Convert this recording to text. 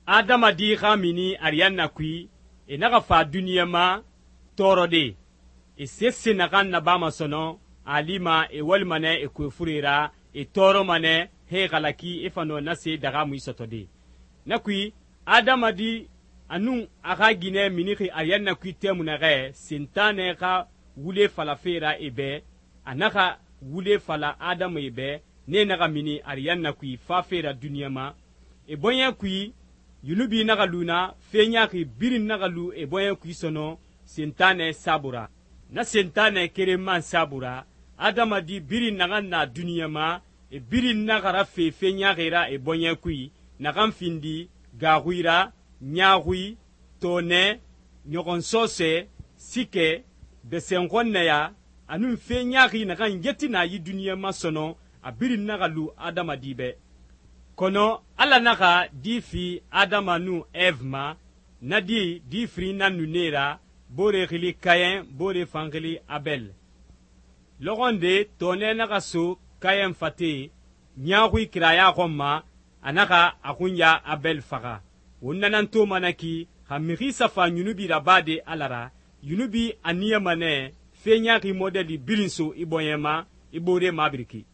adamadi xa mini ariyanna kui, e naxa fa duniɲa ma tɔɔrɔde. E sese naxan nabama sɔnɔn a lima e walima nɛ e kuefure ra, e tɔɔrɔma nɛ he e xalaki e fa nɔ na se daxamui sɔtɔde. Na kui adamadi a nun a xa ginɛ minixi ariyanna kui tɛmui naxɛ Sentanɛ xa wule falafe ra e bɛ, a naxa wule fala adamae bɛ, nee naxa mini ariyanna kui fafe ra duniɲa ma. E bɔɲɛ kui yunubi naxa lu na, fe ɲaaxi birin naxa lu e bɔɲɛ kui sɔnɔn Sentanɛ saabui ra. Na Sentanɛ keren man saabui ra, adamadi birin naxan na duniɲa ma, e birin naxa rafe fe ɲaaxi ra e bɔɲɛ kui, naxan findi gaaxui ra, ɲaaxui, tɔɔnɛ, ɲɔxɔnsɔɔsɛ, sikɛ, bɛsɛnxɔnnɛya, a nun fe ɲaaxi naxan yeti na yi duniɲa ma sɔnɔn a birin naxa lu adamadi bɛ. Kɔnɔ Ala naxa di fi Adama nun Eve ma, na di firin nan nu nee ra, boore xili Kayɛn, boore fan xili Abɛl. Lɔxɔnde tɔɔnɛ naxa so Kayɛn fate, ɲaaxui kiraya xɔn ma, a naxa a xunya Abɛl faxa. Won na nan toma na ki, xa mixi safa yunubi rabade Ala ra, yunubi a niyama nɛ fe ɲaaxi mɔdɛli birin so i bɔɲɛ ma, i boore mabiriki.